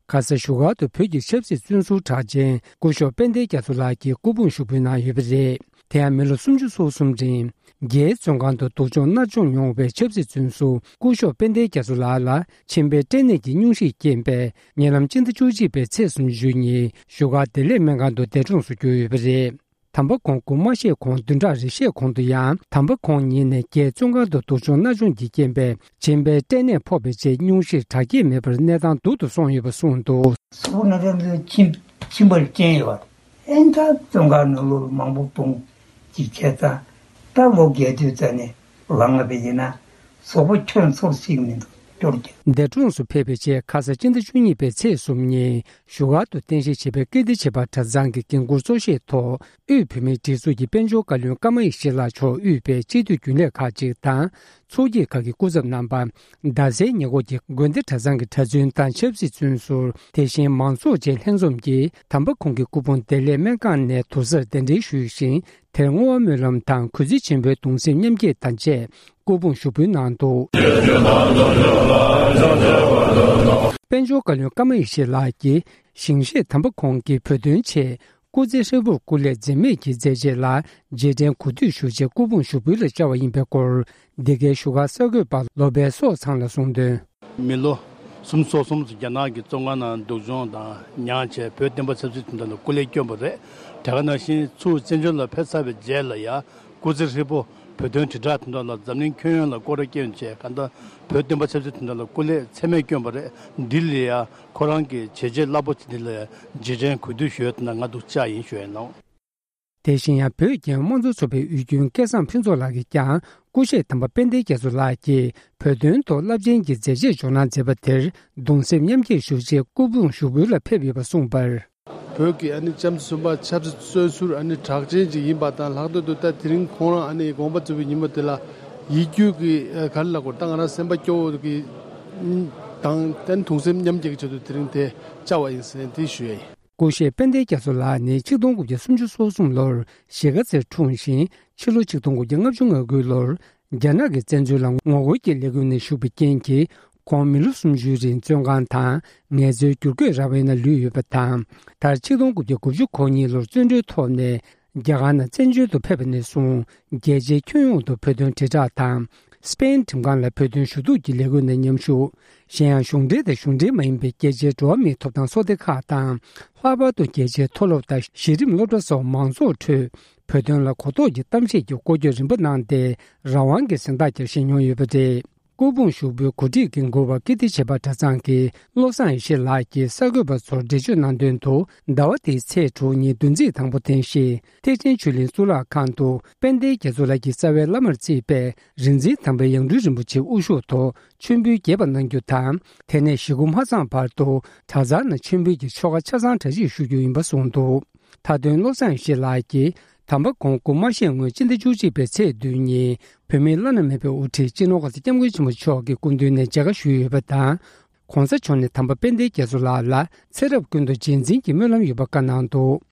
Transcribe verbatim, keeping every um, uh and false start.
ཁ་ས་བཞུགས་སྒར་དུ་བོད་ཀྱི་ཆབ་སྲིད་བཙོན་ཟུར་གྲགས་ཅན་སྐུ་ཞབས་དཔལ་ལྡན་རྒྱ་མཚོ་ལགས་ཀྱིས་སྐུ་ཕུང་ཞུགས་འབུལ་གནང་ཡོད་པ་རེད། དེ་ཡང་མི་ལོ་སུམ་ཅུ་སོ་གསུམ་རིང་རྒྱའི་བཙོན་ཁང་དུ་སྡུག་སྦྱོང་མནར་གཅོད་མྱོང་བའི་ཆབ་སྲིད་བཙོན་ཟུར་སྐུ་ཞབས་དཔལ་ལྡན་རྒྱ་མཚོ་ལགས་ལ་མཆིན་པའི་སྐྲན་ནད་ཀྱི་སྙུང་གཞིའི་རྐྱེན་པས་ཉེ་ལམ་སྤྱི་ཟླ་བཅུ་གཅིག་པའི་ཚེས་སུམ་ཅུ་ཉིན་བཞུགས་སྒར་བདེ་ལེགས་སྨན་ཁང་དུ་འདས་གྲོངས་སུ་གྱུར་ཡོད་པ་རེད། དམ་པ་ཁོང་སྐུ་མ་གཤེགས་གོང་བདུན་ཕྲག་རེ་ཤས་གོང་དུ་ཡང་དམ་པ་ཁོང་ཉིད་ནས་རྒྱའི་བཙོན་ཁང་དུ་སྡུག་སྦྱོང་མནར་གཅོད་ཀྱི་རྐྱེན་པས་མཆིན་པའི་སྐྲན་ནད་ཕོག་པའི་རྗེས་སྙུང་གཞིར་དྲག་སྐྱེད་མེད་པར་གནས་སྟངས་སྡུག་ཏུ་སོང་ཡོད་པ་གསུངས་འདུག། སོག་པོ་ན་ཚ་ཚོའི་ཁྱིམ་ཁྱིམ་པར་རྐྱེན་ཡོད་པ། ཨེན་ད་བཙོན་ཁང་ནང་ལོ་མང་པོ་སྤུངས་ཅིག་བྱས་ཙང་། ད་ལོ་བརྒྱད་དུས་ཙ་ནས་ལངས་པ་ཡིན་ན་སོག་པོ་ཁྱོད་ཚོར་ཞིག་མི་འདུག་སྐྱོར་གྱི། འདས་གྲོངས་སུ་ཕེབས་པའི་རྗེས་ཁ་ས་སྤྱི་ཟླ་བཅུ་གཉིས་པའི་ཚེས་གསུམ་ཉིན་བཞུགས་སྒར་དུ་རྟེན་གཞི་བྱས་པའི་ཀིརྟི་བྱེས་པ་གྲྭ་ཚང་གི་འགན་འཁུར་གཙོ་བཞེས་ཐོག་དབུས་བོད་མིའི་སྒྲིག་འཛུགས་ཀྱི་དཔལ་འབྱོར་བཀའ་བློན་ཀརྨ་ཡེ་ཤེས་ལགས་མཆོག་དབུས་པའི་སྤྱི་འཐུས་རྒྱུན་ལས་ཁག་ཅིག་དང་། ཚོགས་སྐྱིད་ཁག་གི་སྐུ་ཚབ་རྣམ་པ། རྡ་སའི་ཉེ་འཁོར་གྱི་དགོན་སྡེ་གྲྭ་ཚང་གི་གྲྭ་བཙུན་དང་ཆབ་སྲིད་བཙོན་ཟུར། དེ་བཞིན་མང་ཚོགས་བཅས་ལྷན་འཛོམས་ཀྱིས་དམ་པ་ཁོང་གི་སྐུ་ཕུང་བདེ་ལེགས་སྨན་ཁང་ནས་དུར་སར་གདན་འདྲེན་ཞུས་ཤིང་། དེར་བསྔོ་བ་སྨོན་ལམ་དང་གུས་བརྩི་ཆེན་པོའི་གདུང་སེམས་མཉམ་སྐྱེད་དང་བཅས་སྐུ་ཕུང་ཞུགས་འབུལ་གནང་འདུག། དཔལ་འབྱོར་བཀའ་བློན་ཀརྨ་ཡེ་ཤེས་ལགས་ཀྱིས་ཞིང་གཤེགས་དམ་པ་ཁོང་གི་བོད་དོན་ཆེད་སྐུ་ཚེ་ཧྲིལ་པོར་སྐུ་ལས་འཛེམས་མེད་ཀྱིས་མཛད་རྗེས་ལ་རྗེས་དྲན་གུས་འདུད་ཞུ་ཆེད་སྐུ་ཕུང་ཞུགས་འབུལ་ལ་བཅར་བ་ཡིན་པའི་སྐོར། འདི་གའི་བཞུགས་སྒར་གསར་འགོད་པ་ལོ་པཎ་སོགས་ཚང་ལ་གསུངས་དོན། མི་ལོ་སུམ་ཅུ་སོ་གསུམ་ཙམ་རྒྱ་ནག་གི་བཙོན་ཁང་ནང་སྡུག་སྦྱོང་དང་མྱངས་བྱས་བོད་བསྟན་པ་ཆབ་སྲིད་དོན་དག་ལ་སྐུ་ལས་བསྐྱོན་པ་རེད། དེ་ག་ནང་བཞིན་ཚུར་བཙན་བྱོལ་ལ་ཕེབས་ཚར་བའི་རྗེས་ལ་ཡང་སྐུ་ཚེ་ཧྲིལ་པོ་བོད་དོན་དྲིལ་བསྒྲགས་དོན་དག་ལ་འཛམ་གླིང་ཁྱོན་ཡོངས་ལ་སྐོར་ར་བསྐྱོན་བྱས་གང་ལྟར་བོད་བསྟན་པ་ཆབ་སྲིད་དོན་དག་ལ་སྐུ་ལས་ཚད་མེད་བསྐྱོན་པ་རེད། འདི་ལ་ཡང་ཁོ་རང་གི་བྱས་རྗེས་རླབས་པོ་ཆེ་འདི་ལ་ཡང་རྗེས་དྲན་གུས་འདུད་ཞུ་ཡ་དེ་ན་ང་འདུག་བཅར་ཡིན་ཞུ་ཡ་ཡིན་ལགས། དེ་བཞིན་ཡང་བོད་རྒྱལ་ཡོངས་དམངས་གཙོ་ཚོགས་པའི་དབུས་རྒྱུན་སྐལ་བཟང་ཕུན་ཚོགས་ལགས་ཀྱིས་ཀྱང་སྐུ་གཤེགས་དམ་པ་དཔལ་ལྡན་རྒྱ་མཚོ་ལགས་ཀྱིས་བོད་དོན་ཐོག་རླབས་ཆེན་གྱི་མཛད་རྗེས་འཇོག་གནང་མཛད་པ་དེར་གདུང་སེམས་མཉམ་སྐྱེད་ཞུ་ཆེད་སྐུ་ཕུང་ཞུགས་འབུལ་ལ་ཕེབས་ཡོད་པ་གསུངས་པར། བོད་ཀྱི་ཨ་ནི་ལྕམ་སྲིད་གསུམ་པ་ཆབ་སྲིད་བཙོན་ཟུར་ཨ་ནི་གྲགས་ཅན་ཅིག་ཡིན་པ་དང་། ལྷག་དོན་དུ་ད་དེ་རིང་ཁོང་རང་ཨ་ནི་དགོངས་པ་རྫོགས་པའི་ཉིན་མོ་དེ་ལ་ཡིད་སྐྱོ་གི་ག་རེ་ལབ་དགོས་རེད། ད་ང་རང་སེམས་པ་སྐྱོ་བོ་གི་དང་ད་ནི་གདུང་སེམས་མཉམ་སྐྱེད་ཀྱི་ཆེད་དུ་དེ་རིང་དེ་བཅར་བ་ཡིན་ཟེར་དེ་ཞུ་ཡ་ཡིན། སྐུ་གཤེགས་དཔལ་ལྡན་རྒྱ་མཚོ་ལགས་ནི་ཆིག་སྟོང་དགུ་བརྒྱ་སུམ་ཅུ་སོ་གསུམ་ལོར་གཞིས་ཀ་རྩེར་འཁྲུངས་ཤིང་། ཕྱི་ལོ་ཆིག་སྟོང་དགུ་བརྒྱ་ལྔ་བཅུ་ང་དགུ་ལོར་རྒྱ་ནག་གི་བཙན་འཛུལ་ལ་ངོ་རྒོལ་གྱི་ལས་འགུལ་ནང་ཞུགས་པའི་རྐྱེན་གྱིས། ཁོང་མི་ལོ་སུམ་ཅུའི་རིང་བཙོན་ཁང་དང་ངལ་རྩོལ་བསྒྱུར་བཀོད་ར་བའི་ནང་ལུས་ཡོད་པ་དང་། མཐར་ཆིག་སྟོང་དགུ་བརྒྱ་དགུ་བཅུ་གོ་གཉིས་ལོར་བཙོན་གྲོལ་ཐོབ་ནས། རྒྱ་གར་ནང་བཙན་བྱོལ་དུ་ཕེབས་པ་ནས་བཟུང་རྒྱལ་སྤྱིའི་ཁྱོན་ཡོངས་སུ་བོད་དོན་དྲིལ་བསྒྲགས་དང་། སི་པེན་ཁྲིམས་ཁང་ལ་བོད་དོན་ཞུ་གཏུག་གི་ལས་འགུལ་ནང་མཉམ་ཞུགས། གཞན་ཡང་གཞུང་འབྲེལ་དང་གཞུང་འབྲེལ་མ་ཡིན་པའི་རྒྱལ་སྤྱིའི་འགྲོ་བ་མིའི་ཐོབ་ཐང་ཚོགས་སྡེ་ཁག་དང་། ལྷག་པར་དུ་རྒྱལ་སྤྱིའི་མཐོ་སློབ་དང་གཞི་རིམ་སློབ་གྲྭ་སོགས་མང་ཚོགས་ཁྲོད་བོད་དོན་ལ་གོ་རྟོགས་ཀྱི་གཏམ་བཤད་ཀྱི་སྐོར་སྐྱོད་རིམ་པ་གནང་སྟེ། རང་དབང་གི་གཟེངས་རྟགས་ཀྱང་བཞེས་མྱོང་ཡོད་པ་རེད། སྐུ་ཕུང་ཞུགས་འབུལ་གོ་སྒྲིག་འགན་འཁུར་བ་ཀིརྟི་བྱེས་པ་གྲྭ་ཚང་གི་བློ་བཟང་ཡེ་ཤེས་ལགས་ཀྱིས་གསར་འགོད་པ་ཚོར་འགྲེལ་བརྗོད་གནང་དོན་དུ། ཟླ་བ་འདིའི་ཚེས་དྲུག་ཉིན་བདུན་ཚིགས་དང་པོ་འཐེན་བཞིན་ཐེག་ཆེན་ཆོས་གླིང་གཙུག་ལག་ཁང་དུ་དཔལ་ལྡན་རྒྱ་མཚོ་ལགས་ཀྱི་རྩ་བའི་བླ་མར་བརྩིས་པའི་རིག་འཛིན་དམ་པའི་ཡང་སྤྲུལ་རིན་པོ་ཆེ་དབུ་བཞུགས་ཐོག་མཆོད་འབུལ་རྒྱས་པ་གནང་རྒྱུ་དང་། དེ་ནས་ཞེ་དགུ་མ་ཚང་བར་དུ་གྲྭ་ཚང་ནང་མཆོད་འབུལ་གྱི་ཆོ་ག་ཆ་ཚང་གྲ་སྒྲིག་ཞུ་རྒྱུ་ཡིན་པ་གསུངས་འདུག། མཐའ་དོན་བློ་བཟང་ཡེ་ཤེས་ལགས་ཀྱིས་དམ་པ་ཁོང་སྐུ་མ་གཤེགས་སྔོན་སྤྱི་ཟླ་བཅུ་གཅིག་པའི་ཚེས་བདུན་ཉིན་བོད་མིའི་བླ་ན་མེད་པའི་དབུ་ཁྲིད་སྤྱི་ནོར་གོང་ས་སྐྱབས་མགོན་ཆེན་པོ་མཆོག་གི་སྐུ་མདུན་ནས་མཇལ་ཁ་ཞུས་ཡོད་པ་དང་། གོང་ས་མཆོག་ནས་དམ་པ་དཔལ་ལྡན་རྒྱ་མཚོ་ལགས་ལ་ཚེ་རབས་ཀུན་ཏུ་རྗེས་འཛིན་གྱི་སྨོན་ལམ་ཡོད་པ་བཀའ་གནང་འདུག།